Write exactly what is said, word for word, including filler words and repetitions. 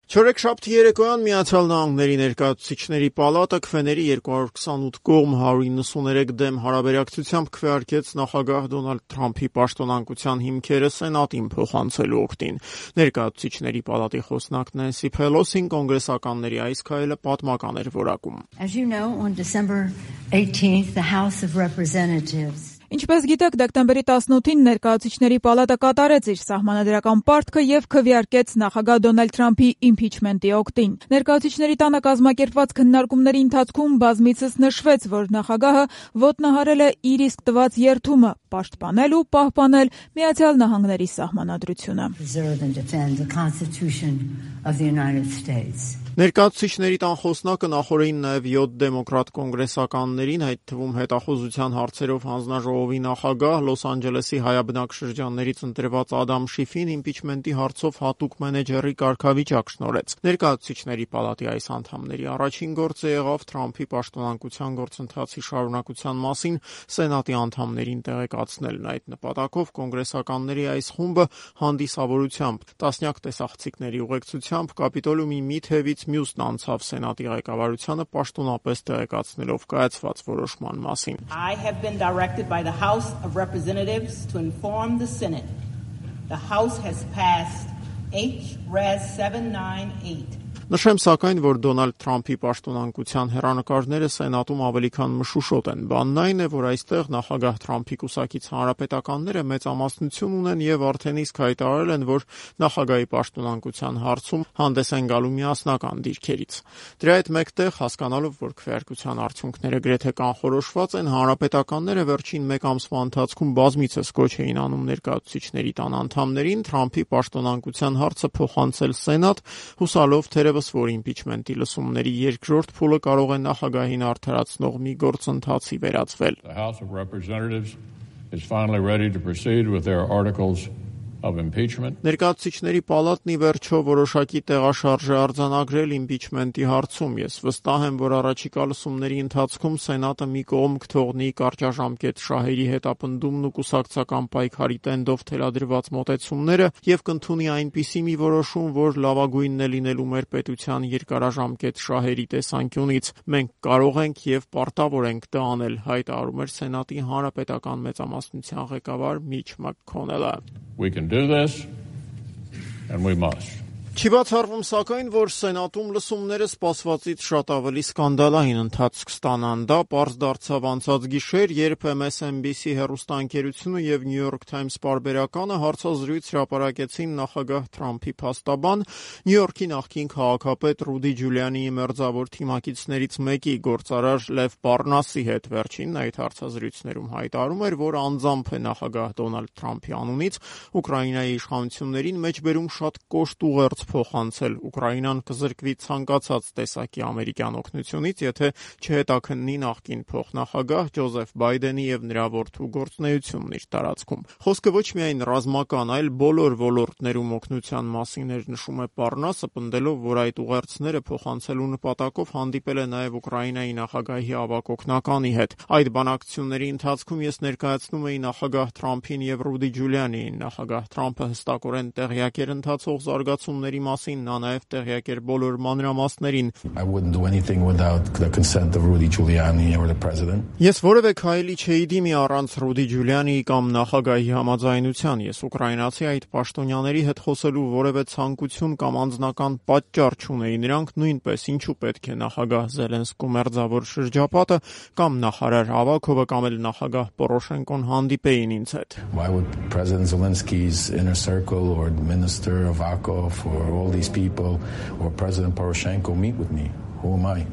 Չորեքշաբթի երեկոյան Միացյալ Նահանգների ներկայացուցիչների պալատը քվեների երկու հարյուր քսանութ կողմ հարյուր իննսուներեք դեմ հարաբերակցությամբ քվեարկեց նախագահ Դոնալդ Թրամփի պաշտոնանկության հիմքերը Սենատին փոխանցելու օգտին։ Ներկայացուցիչների պալատի խոսնակ Նենսի Փելոսին կոնգրեսականների այս քայլը պատմական էր որակում։ As you know, on December eighteenth, the House of Representatives Ինչպես գիտեք, դեկտեմբերի տասնութին ներկայացուցիչների պալատը կատարեց իր սահմանադրական պարտքը եւ քվեարկեց նախագահ Դոնալդ Թրամփի իմփիչմենտի օգտին։ Ներկայացուցիչների տանը կազմակերպված քննարկումների ընթացքում բազմիցս նշվեց, որ նախագահը ոտնահարել է իր իսկ տված երդումը պաշտպանել ու պահպանել Միացյալ Նահանգների սահմանադրությունը։ Ներկայացուցիչների տան խոսնակը նախորդին նաև յոթ դեմոկրատ կոնգրեսականներին, այդ թվում հետախուզության հարցերով հանձնաժողովի նախագահ, Լոս Անջելեսի հայաբնակ շրջաններից ընտրված Ադամ Շիֆին իմպիչմենտի հարցով հատուկ մենեջերի կարգավիճակ շնորհեց։ Ներկայացուցիչների պալատի այս անդամների առաջին գործը եղավ Թրամփի պաշտոնանկության գործընթացի շարունակության մասին Սենատի անդամներին տեղեկացնելն։ Այդ նպատակով կոնգրեսականների այս խումբը հանդիսավորությամբ տասնյակ տեսախցիկների ուղեկցությամբ Կապիտոլիումի մի թևից մյուսն անցավ Սենատի ղեկավարությանը պաշտոնապես տեղեկացնելով կայացված որոշման մասին։ I have been directed by the House of Representatives to inform the Senate. The House has passed H R E S seven ninety-eight. Նշեմ սակայն, որ Դոնալդ Թրամփի պաշտոնանկության հեռանկարները Սենատում ավելի քան մշուշոտ են։ Բանն այն է, որ այստեղ նախագահ Թրամփի կուսակից հանրապետականները մեծամասնություն ունեն եւ արդեն իսկ հայտարարել են, որ նախագահի պաշտոնանկության հարցում հանդես են գալու միասնական դիրքերից։ Դրա հետ մեկտեղ, հասկանալով, որ քվեարկության արդյունքները գրեթե կանխորոշված են, հանրապետականները վերջին մեկ ամսվա ընթացքում բազմիցս կոչ էին անում ներկայացուցիչների տան անդամներին Թրամփի պաշտոնանկության հարցը փոխանցել Սենատ, հուսալով թերևս որ իմպիչմենտի լսումների երկրորդ փուլը կարող է նախագահին արդարացնող մի գործընթացի վերածվել։ The House of Representatives is finally ready to proceed with their articles of impeachment. Ներկայացուցիչների պալատն ի վերջո որոշակի տեղաշարժ է արձանագրել իմպիչմենտի հարցում։ Ես վստահ եմ, որ առաջիկա լսումների ընթացքում Սենատը մի կողմ կթողնի կարճաժամկետ շահերի հետապնդումն ու կուսակցական պայքարի տենդով թելադրված մոտեցումները եւ կընդունի այնպիսի մի որոշում, որ լավագույնն է լինելու մեր պետության երկարաժամկետ շահերի տեսանկյունից։ Մենք կարող ենք եւ պարտավոր ենք դա անել, հայտարարում էր Սենատի հանրապետական մեծամասնության ղեկավար Միչ Մաքքոնելը։ We can do this, and we must. Չի բացառվում սակայն, որ Սենատում լսումները սպասվածից շատ ավելի սկանդալային ընթացք կստանան։ Դա պարզ դարձավ անցած գիշեր, երբ M S N B C հեռուստաընկերությունը եւ New York Times պարբերականը հարցազրույց հրապարակեցին նախագահ Թրամփի փաստաբան, Նյու Յորքի նախկին քաղաքապետ Ռուդի Ջուլիանիի մերձավոր թիմակիցներից մեկի գործարար Լև Պարնասի հետ։ Վերջինն այդ հարցազրույցներում հայտարարում էր, որ անձամբ է նախագահ Դոնալդ Թրամփի անունից Ուկրաինայի իշխանություններին մեջբերում շատ կոշտ ուղերձ փոխանցել։ Ուկրաինան կզրկվի ցանկացած տեսակի ամերիկյան օգնությունից, եթե չհետաքննի նախկին փոխնախագահ Ջոզեֆ Բայդենի եւ նրա որդու գործունեությունն իր տարածքում։ Խոսքը ոչ միայն ռազմական, այլ բոլոր ոլորտներում օգնության մասին էր, նշում է Պարնասը, պնդելով, որ այդ ուղերձները փոխանցելու նպատակով հանդիպել է նաեւ Ուկրաինայի նախագահի ավագ օգնականի հետ։ Այդ բանակցությունների ընթացքում ես ներկայացնում էի նախագահ Թրամփին եւ Ռուդի Ջուլիանիին։ Նախագահ Թրամփը հստակորեն տեղյակ էր ընթացող զարգացումների մասին, նա նաև տեղյակ էր բոլոր մանրամասներին։ I wouldn't do anything without the consent of Rudy Giuliani or the president. Ես որևէ քայլի չէի դիմի առանց Ռուդի Ջուլիանիի կամ նախագահի համաձայնության։ Ես ուկրաինացի այդ պաշտոնյաների հետ խոսելու որևէ ցանկություն կամ անձնական պատճառ չունեի։ Նրանք նույնպես ինչու պետք է նախագահ Զելենսկու մերձավոր շրջապատը կամ նախարար Ավակովը կամ էլ նախագահ Պորոշենկոն հանդիպեին ինձ հետ։ Why would President Zelensky's inner circle or Minister Avakov or all these people or President Poroshenko meet with me? Who am I?